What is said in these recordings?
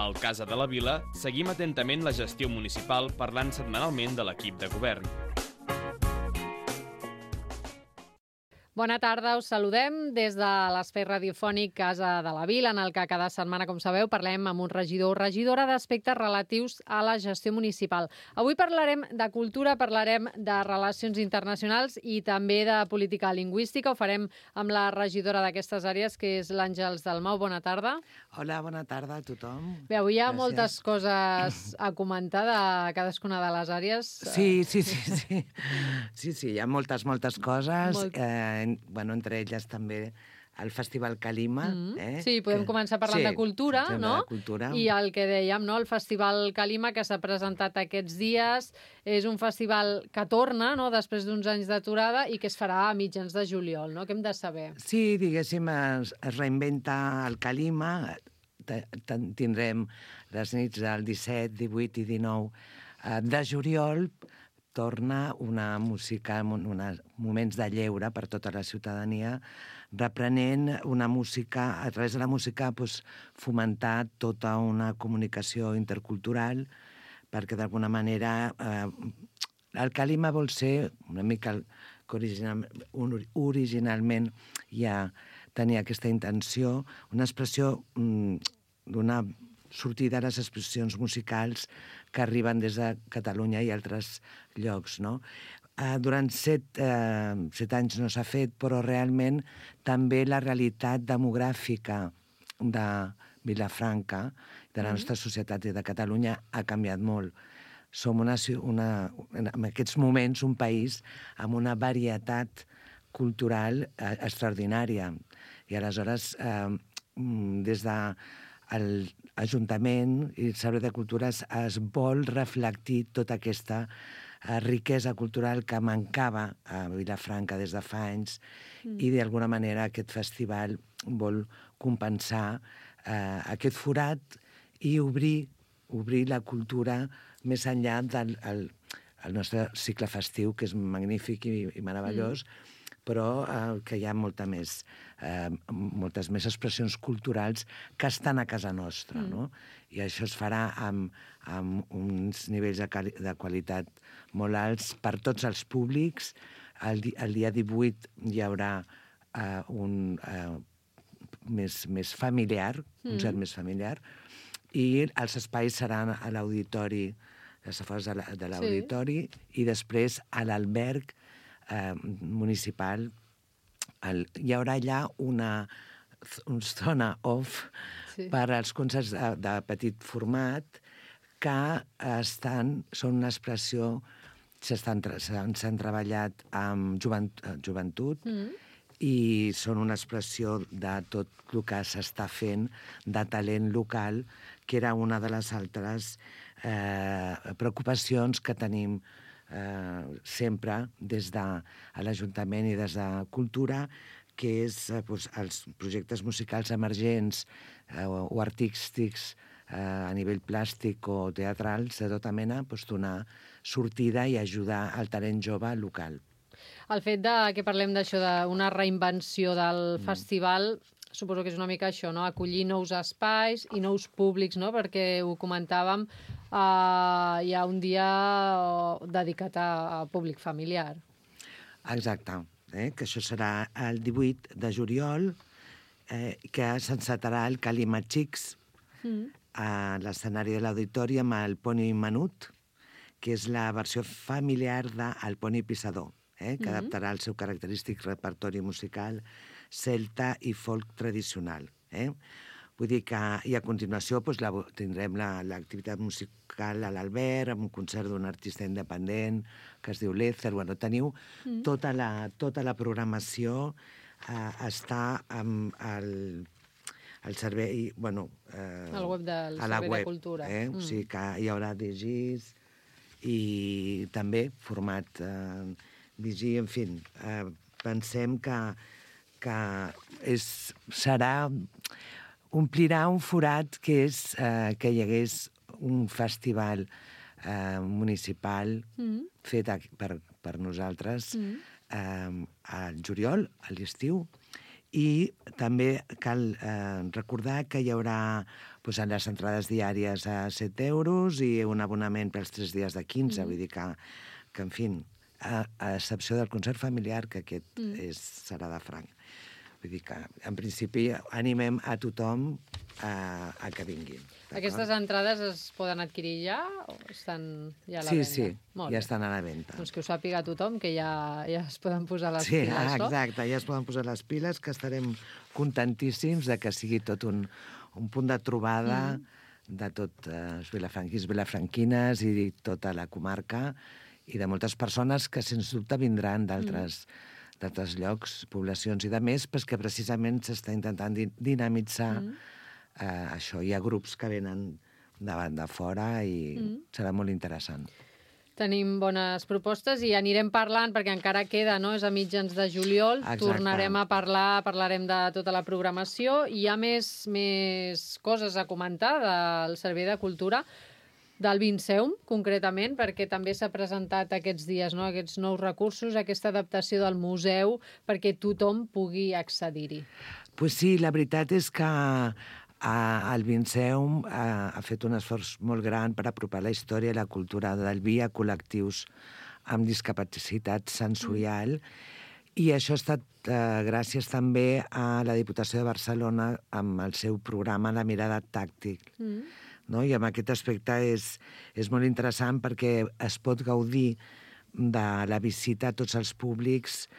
Al Casa de la Vila seguim atentament la gestió municipal parlant setmanalment de l'equip de govern. Bona tarda, us saludem des de l'espai radiofònic Casa de la Vila, en el que cada setmana, com sabeu, parlem amb un regidor o regidora d'aspectes relatius a la gestió municipal. Avui parlarem de cultura, parlarem de relacions internacionals i també de política lingüística. Ho farem amb la regidora d'aquestes àrees, que és l'Àngels Dalmau. Bona tarda. Hola, bona tarda a tothom. Bé, avui hi ha moltes coses a comentar de cadascuna de les àrees. Sí, hi ha moltes coses. Entre elles també el Festival Calima. Sí, podem començar parlant de cultura, no? De cultura. I el que dèiem, no? El Festival Calima, que s'ha presentat aquests dies, és un festival que torna, no?, després d'uns anys d'aturada i que es farà a mitjans de juliol, no? Què hem de saber? Sí, diguéssim, es reinventa el Calima. Tindrem les nits del 17, 18 i 19 de juliol. Torna una música, uns moments de lleure per tota la ciutadania, reprenent una música, a través de la música, fomentar tota una comunicació intercultural, perquè d'alguna manera el Calima vol ser una mica que originalment ja tenia aquesta intenció, una expressió d'una sortir de les expressions musicals que arriben des de Catalunya i altres llocs, no? Durant 7 anys no s'ha fet, però realment també la realitat demogràfica de Vilafranca, de la nostra societat i de Catalunya, ha canviat molt. Som en aquests moments un país amb una varietat cultural extraordinària. I aleshores, des de l'Ajuntament i el Servei de Cultura es vol reflectir tota aquesta riquesa cultural que mancava a Vilafranca des de fa anys i d'alguna manera aquest festival vol compensar aquest forat i obrir la cultura més enllà del nostre cicle festiu, que és magnífic i meravellós, però que hi ha moltes més expressions culturals que estan a casa nostra, no? I això es farà amb uns nivells de qualitat molt alts per tots els públics. El dia 18 hi haurà un més familiar, un concert més familiar, i els espais seran a l'auditori, les afores de l'auditori, i després a l'alberg municipal. Hi haurà allà una zona off per als concerts de petit format que són una expressió, s'han treballat amb joventut i són una expressió de tot el que s'està fent de talent local, que era una de les altres preocupacions que tenim sempre des de l'Ajuntament i des de Cultura, que és els projectes musicals emergents o artístics a nivell plàstic o teatrals de tota mena, donar sortida i ajudar al talent jove local. El fet que parlem d'això, d'una reinvenció del festival, suposo que és una mica això, no? Acollir nous espais i nous públics, no? Perquè ho comentàvem, hi ha un dia dedicat a públic familiar. Exacte, que això serà el 18 de juliol, que s'encetarà el Calima Xics a l'escenari de l'auditori amb el Poni Menut, que és la versió familiar del Poni Pissador, que adaptarà el seu característic repertori musical celta i folk tradicional. Vull dir que, i a continuació, tindrem l'activitat musical a l'Albert, amb un concert d'un artista independent que es diu Lézer. Teniu tota la programació, està amb el servei, al web del Servei de Cultura. O sigui que hi haurà DJs i també format DJ, en fi, pensem que omplirà un forat que és que hi hagués un festival municipal fet per nosaltres al juliol, a l'estiu, I també cal recordar que hi haurà les entrades diàries a 7 euros i un abonament pels 3 dies de 15, vull dir que en fi, a excepció del concert familiar, que aquest serà de franc. Vull dir que, en principi, animem a tothom a que vinguin. Aquestes entrades es poden adquirir ja o estan ja a la venda? Sí, ja estan a la venda. Doncs que ho sàpiga tothom, que ja es poden posar les piles, no? Sí, exacte, ja es poden posar les piles, que estarem contentíssims de que sigui tot un punt de trobada de tot els vilafranquins, vilafranquines i tota la comarca i de moltes persones que, sens dubte, vindran d'altres llocs, poblacions i de més, perquè precisament s'està intentant dinamitzar això. Hi ha grups que venen de fora i serà molt interessant. Tenim bones propostes i anirem parlant, perquè encara queda, no? És a mitjans de juliol. Exacte. Tornarem a parlarem de tota la programació. Hi ha més coses a comentar del Servei de Cultura, del Vinceum, concretament, perquè també s'ha presentat aquests dies, no? Aquests nous recursos, aquesta adaptació del museu, perquè tothom pugui accedir-hi. Pues sí, la veritat és que el Vinceum ha fet un esforç molt gran per apropar la història i la cultura del vi a col·lectius amb discapacitat sensorial, i això ha estat gràcies també a la Diputació de Barcelona amb el seu programa La mirada tàctil. No? I en aquest aspecte és molt interessant perquè es pot gaudir de la visita a tots els públics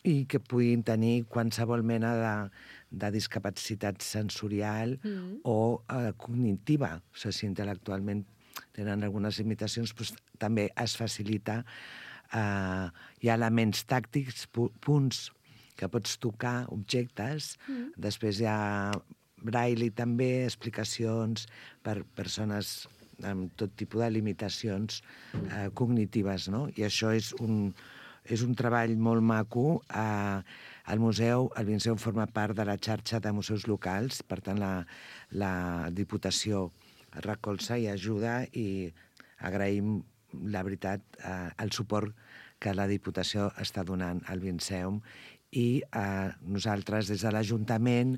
i que puguin tenir qualsevol mena de discapacitat sensorial o cognitiva. O sigui, si intel·lectualment tenen algunes limitacions, doncs també es facilita. Hi ha elements tàctics, punts que pots tocar, objectes. Després hi ha braille també, explicacions per persones amb tot tipus de limitacions cognitives, no? I això és un treball molt maco. El Vinceum forma part de la xarxa de museus locals, per tant la Diputació recolza i ajuda, i agraïm, la veritat, el suport que la Diputació està donant al Vinceum, i nosaltres des de l'Ajuntament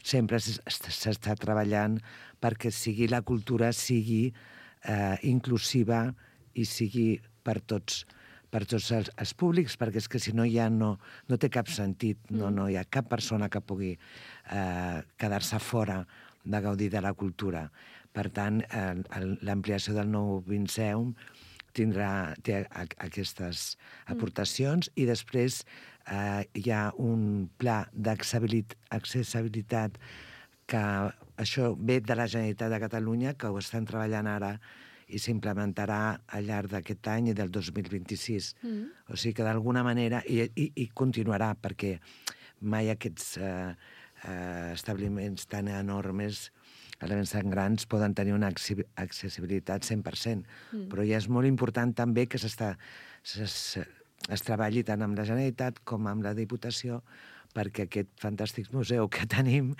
sempre s'està treballant perquè la cultura sigui inclusiva i sigui per tots els públics, perquè és que si no ja no té cap sentit, no hi ha cap persona que pugui quedar-se fora de gaudir de la cultura. Per tant, l'ampliació del nou Vinceum té aquestes aportacions, i després hi ha un pla d'accessibilitat que això ve de la Generalitat de Catalunya, que ho estan treballant ara i s'implementarà al llarg d'aquest any i del 2026. O sigui que d'alguna manera, i continuarà, perquè mai aquests establiments tan enormes, elements tan grans, poden tenir una accessibilitat 100%. Però ja és molt important també que es treballi tant amb la Generalitat com amb la Diputació perquè aquest fantàstic museu que tenim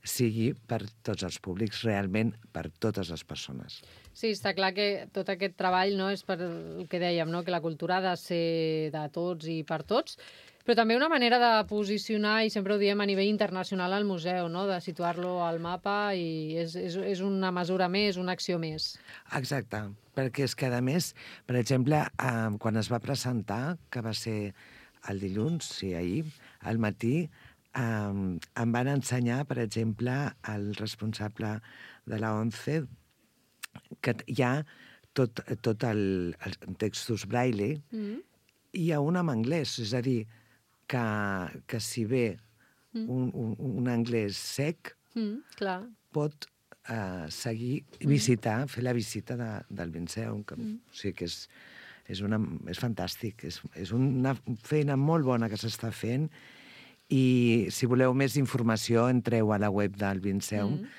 sigui per tots els públics, realment per totes les persones. Sí, està clar que tot aquest treball és per el que dèiem, que la cultura ha de ser de tots i per tots, però també una manera de posicionar, i sempre ho diem, a nivell internacional al museu, de situar-lo al mapa, i és una mesura més, una acció més. Exacte, perquè és que, a més, per exemple, quan es va presentar, que va ser el dilluns, sí, ahir, al matí, em van ensenyar, per exemple, el responsable de la ONCE, que hi ha tot els textos braille, i hi ha un en anglès, és a dir, que si ve un anglès sec, pot seguir, fer la visita del Vinceum, o sigui que és fantàstic, és una feina molt bona que s'està fent, i si voleu més informació entreu a la web del Vinceum,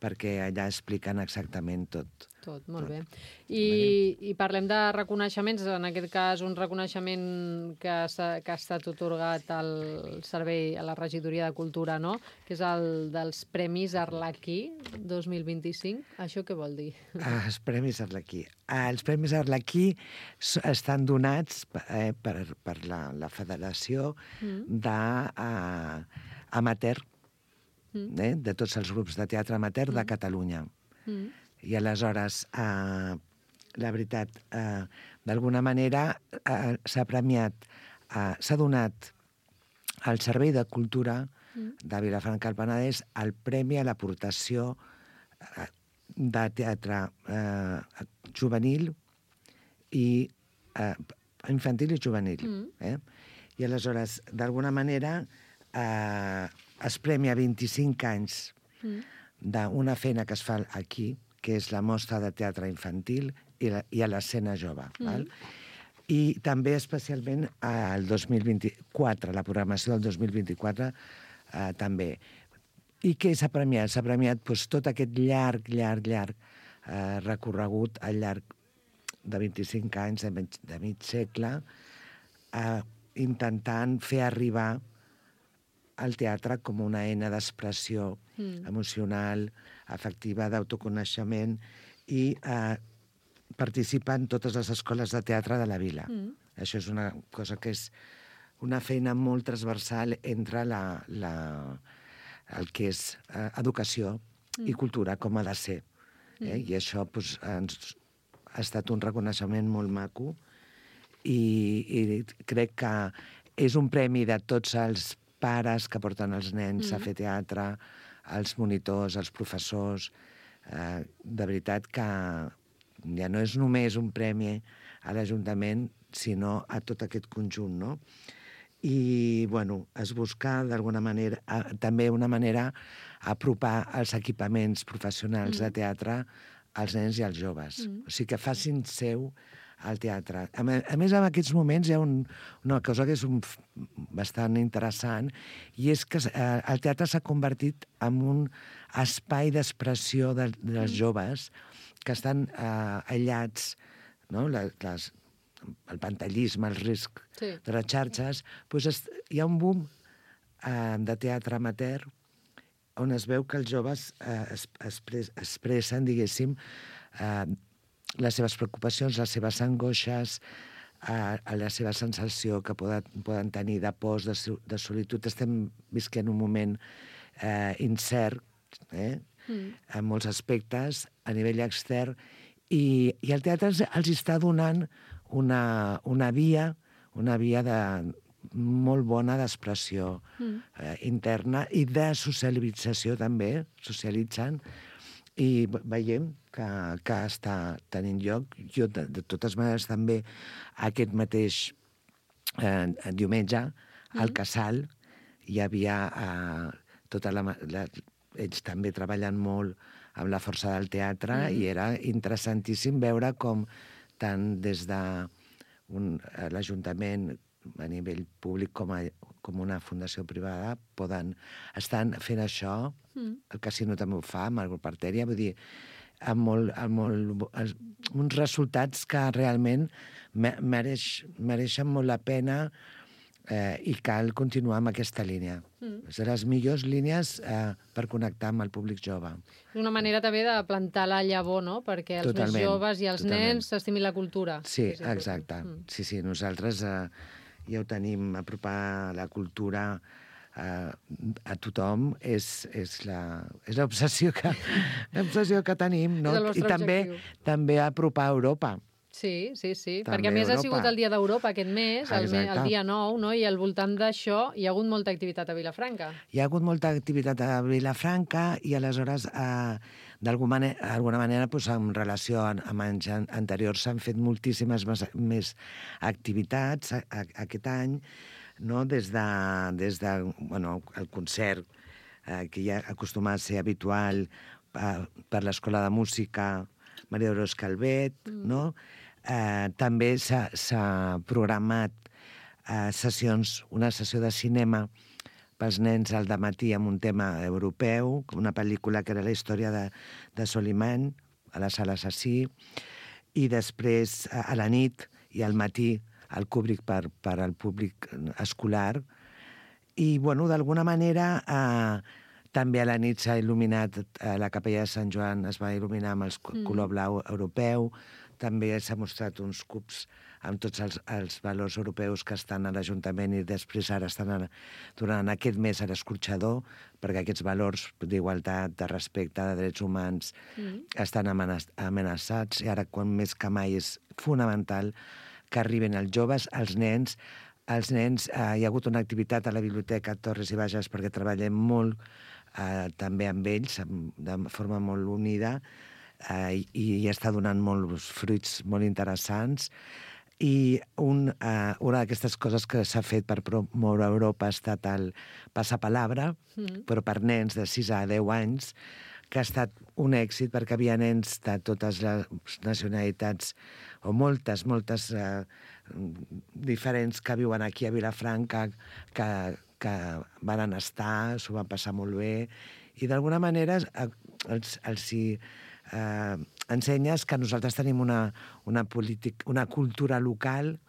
perquè allà expliquen exactament tot. Tot, molt bé. I parlem de reconeixements, en aquest cas un reconeixement que ha estat otorgat al servei, a la regidoria de Cultura, no? Que és el dels Premis Arlequí 2025. Això què vol dir? Els Premis Arlequí. Els Premis Arlequí estan donats per la Federació d'Amateur, de tots els grups de teatre amateur de Catalunya. I aleshores, la veritat, d'alguna manera s'ha premiat, s'ha donat al Servei de Cultura de Vilafranca del Penedès el Premi a l'aportació de teatre juvenil i infantil i juvenil. I aleshores, d'alguna manera, es premia 25 anys d'una feina que es fa aquí, que és la mostra de teatre infantil i a l'escena jove. I també especialment el 2024, la programació del 2024 també. I què s'ha premiat? S'ha premiat tot aquest llarg recorregut al llarg de 25 anys, de mig segle, intentant fer arribar el teatre com una eina d'expressió emocional, afectiva, d'autoconeixement, i participa en totes les escoles de teatre de la vila. Això és una cosa que és una feina molt transversal entre el que és educació i cultura, com ha de ser. I això ha estat un reconeixement molt maco i crec que és un premi de tots els pares que porten els nens a fer teatre, els monitors, els professors. De veritat que ja no és només un premi a l'Ajuntament, sinó a tot aquest conjunt, no? I, bueno, es busca d'alguna manera, també una manera apropar els equipaments professionals de teatre als nens i als joves. O sigui, que facin seu al teatre. A més, en aquests moments hi ha una cosa que és bastant interessant, i és que el teatre s'ha convertit en un espai d'expressió dels joves que estan aïllats, no? El pantallisme, el risc de les xarxes. Hi ha un boom de teatre amateur on es veu que els joves expressen, diguéssim, les seves preocupacions, les seves angoixes, la seva sensació que poden tenir de pors, de solitud. Estem visquent un moment incert, en molts aspectes, a nivell extern, i el teatre els està donant una via molt bona d'expressió interna i de socialització també, socialitzen, i veiem que està tenint lloc. Jo, de totes maneres, també aquest mateix diumenge, al Casal, hi havia ells també treballen molt amb la força del teatre, i era interessantíssim veure com tant des de l'Ajuntament a nivell públic com una fundació privada estan fent això. El Casino també ho fa, amb el grup Artèria, vull dir, amb uns resultats que realment mereixen molt la pena, i cal continuar amb aquesta línia. És de les millors línies per connectar amb el públic jove. És una manera també de plantar la llavor, no?, perquè els més joves i els nens s'estimin la cultura. Sí, exacte. Sí, nosaltres ja ho tenim, apropar la cultura a tothom és l'obsessió que tenim, no? I també apropar a Europa. Sí, perquè a més ha sigut el Dia d'Europa aquest mes, el dia 9, no? I al voltant d'això hi ha hagut molta activitat a Vilafranca. Hi ha hagut molta activitat a Vilafranca, i aleshores, d'alguna manera, en relació amb anys anteriors, s'han fet moltíssimes més activitats aquest any, no? Des del concert, que ja acostuma a ser habitual per l'Escola de Música Maria Dolors Calvet, no? També s'ha programat una sessió de cinema pels nens al dematí amb un tema europeu, una pel·lícula que era la història de Soliman, a la sala Assassí, i després a la nit i al matí el Kubrick per al públic escolar. I, bueno, d'alguna manera, també a la nit s'ha il·luminat, la capella de Sant Joan es va il·luminar amb el color blau europeu, també s'ha mostrat uns cubs amb tots els valors europeus que estan a l'Ajuntament i després ara estan durant aquest mes a l'escorxador, perquè aquests valors d'igualtat, de respecte, de drets humans estan amenaçats i ara, quan més que mai, és fonamental que arriben els joves, els nens. Els nens, hi ha hagut una activitat a la Biblioteca Torres i Bages perquè treballem molt també amb ells, de forma molt unida, i està donant molts fruits molt interessants. I una d'aquestes coses que s'ha fet per promoure a Europa ha estat el Passapalabra, però per nens de 6 a 10 anys, que ha estat un èxit perquè havia nens de totes les nacionalitats, o moltes diferents, que viuen aquí a Vilafranca, que van estar, s'ho van passar molt bé, i d'alguna manera els ensenyes que nosaltres tenim una cultura local,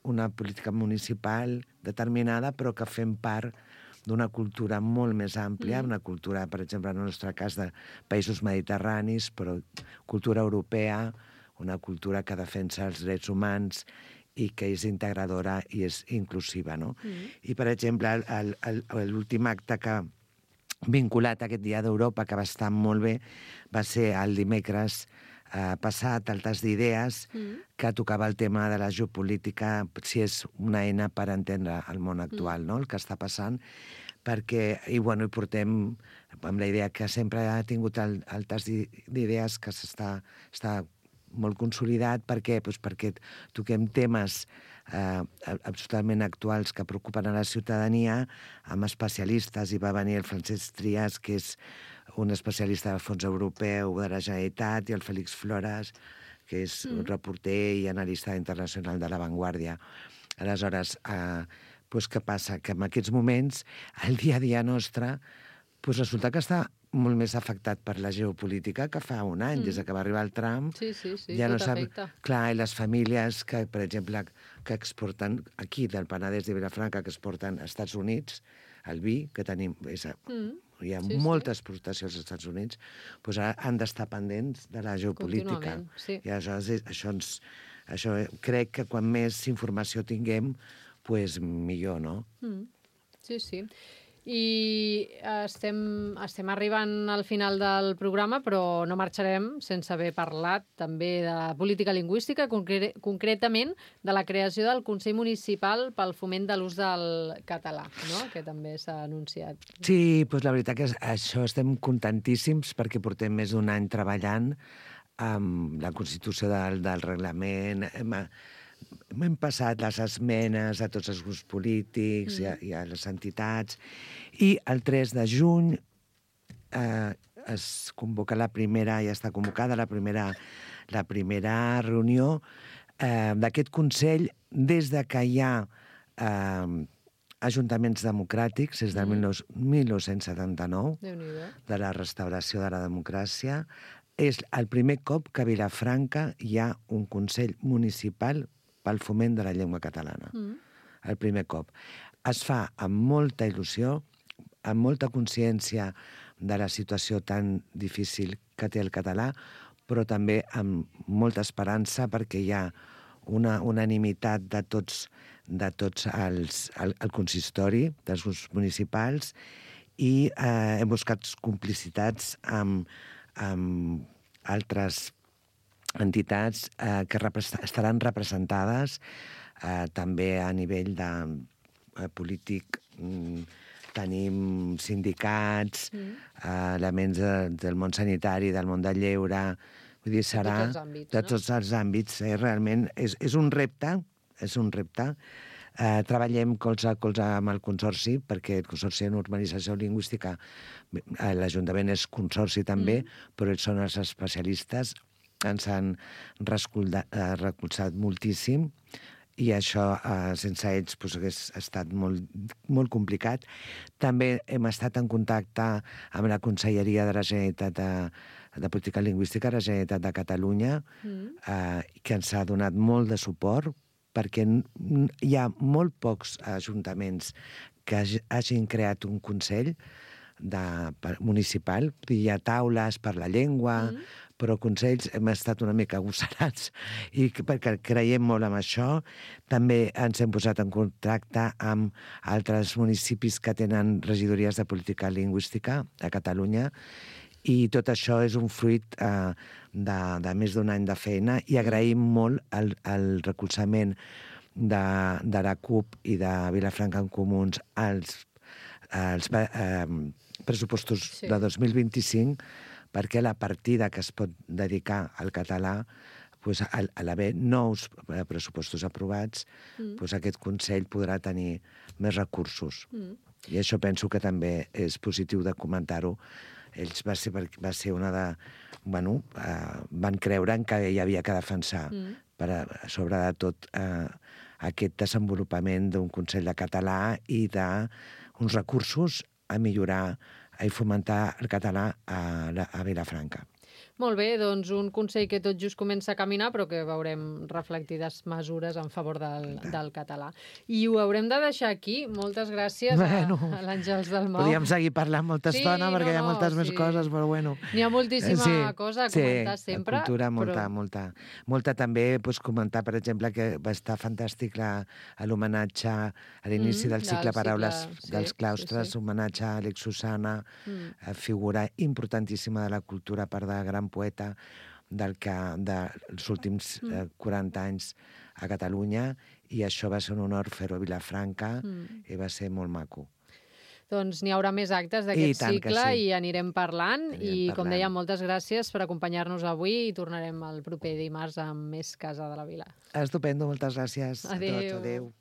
una política municipal determinada, però que fem part d'una cultura molt més àmplia, una cultura, per exemple, en el nostre cas, de països mediterranis, però cultura europea, una cultura que defensa els drets humans i que és integradora i és inclusiva, no? I, per exemple, l'últim acte que vinculat a aquest Dia d'Europa, que va estar molt bé, va ser el dimecres passat, el tas d'idees, que tocava el tema de la geopolítica, si és una eina per entendre el món actual, no?, el que està passant, perquè, i bueno, hi portem amb la idea que sempre ha tingut el tas d'idees, que està molt consolidat. Per què? Doncs perquè toquem temes absolutament actuals que preocupen a la ciutadania, amb especialistes. Hi va venir el Francesc Trias, que és un especialista del Fons Europeu de la Generalitat, i el Félix Flores, que és un reporter i analista internacional de La Vanguardia. Aleshores, què passa? Que en aquests moments, el dia a dia nostre, resulta que està molt més afectat per la geopolítica que fa un any, des que va arribar el Trump. Sí, ja tot afecta. Clar, i les famílies que, per exemple, que exporten aquí, del Penedès de Vilafranca, que exporten als Estats Units, el vi, que tenim... Hi ha moltes exportacions als Estats Units, doncs han d'estar pendents de la geopolítica. Sí. I aleshores, això crec que quan més informació tinguem, doncs millor, no? Sí. I estem arribant al final del programa, però no marxarem sense haver parlat també de política lingüística, concretament de la creació del Consell Municipal pel foment de l'ús del català, no?, que també s'ha anunciat. Sí, doncs la veritat que això estem contentíssims perquè portem més d'un any treballant amb la constitució del reglament. Hem passat les esmenes a tots els grups polítics i a les entitats, i el 3 de juny es convoca ja està convocada la primera reunió d'aquest Consell des de que hi ha ajuntaments democràtics, des del 1979, de la restauració de la democràcia. És el primer cop que a Vilafranca hi ha un Consell Municipal pel foment de la llengua catalana. El primer cop. Es fa amb molta il·lusió, amb molta consciència de la situació tan difícil que té el català, però també amb molta esperança perquè hi ha una unanimitat de tots el consistori, dels grups municipals, i hem buscat complicitats amb altres entitats que estaran representades també a nivell de polític. Tenim sindicats, elements del món sanitari, del món del lleure, vull dir, serà de tots els àmbits. Realment és un repte, Treballem colze a colze amb el Consorci, perquè el Consorci de Normalització Lingüística, l'Ajuntament és consorci també, però ells són els especialistes, ens han recolzat moltíssim, i això sense ells hagués estat molt complicat. També hem estat en contacte amb la Conselleria de la Generalitat de Política Lingüística de la Generalitat de Catalunya, que ens ha donat molt de suport, perquè hi ha molt pocs ajuntaments que hagin creat un consell municipal. Hi ha taules per la llengua, però consells hem estat una mica agosarats i perquè creiem molt en això. També ens hem posat en contacte amb altres municipis que tenen regidories de política lingüística a Catalunya, i tot això és un fruit de més d'un any de feina, i agraïm molt el recolzament de la CUP i de Vilafranca en Comuns als pressupostos de 2025, perquè la partida que es pot dedicar al català, a l'haver nous pressupostos aprovats, aquest Consell podrà tenir més recursos. I això penso que també és positiu de comentar-ho. Ells va ser una de... van creure que hi havia que defensar, sobretot aquest desenvolupament d'un Consell de Català i d'uns recursos a millorar i fomentar el català a Vilafranca. Molt bé, doncs un Consell que tot just comença a caminar, però que veurem reflectides mesures en favor del català. I ho haurem de deixar aquí. Moltes gràcies a l'Àngels Dalmau. Podríem seguir parlant molta estona, perquè hi ha moltes més coses, però bueno. N'hi ha moltíssima cosa a comentar sempre. Sí, cultura, molta també, comentar, per exemple, que va estar fantàstic l'homenatge a l'inici del cicle Paraules dels claustres, homenatge a Àlex Susana, figura importantíssima de la cultura, part de gran poeta dels últims 40 anys a Catalunya, i això va ser un honor fer-ho a Vilafranca, i va ser molt maco. Doncs n'hi haurà més actes d'aquest cicle i anirem parlant. I, com deia, moltes gràcies per acompanyar-nos avui, i tornarem el proper dimarts amb més Casa de la Vila. Estupendo, moltes gràcies a tots. Adéu. Adéu.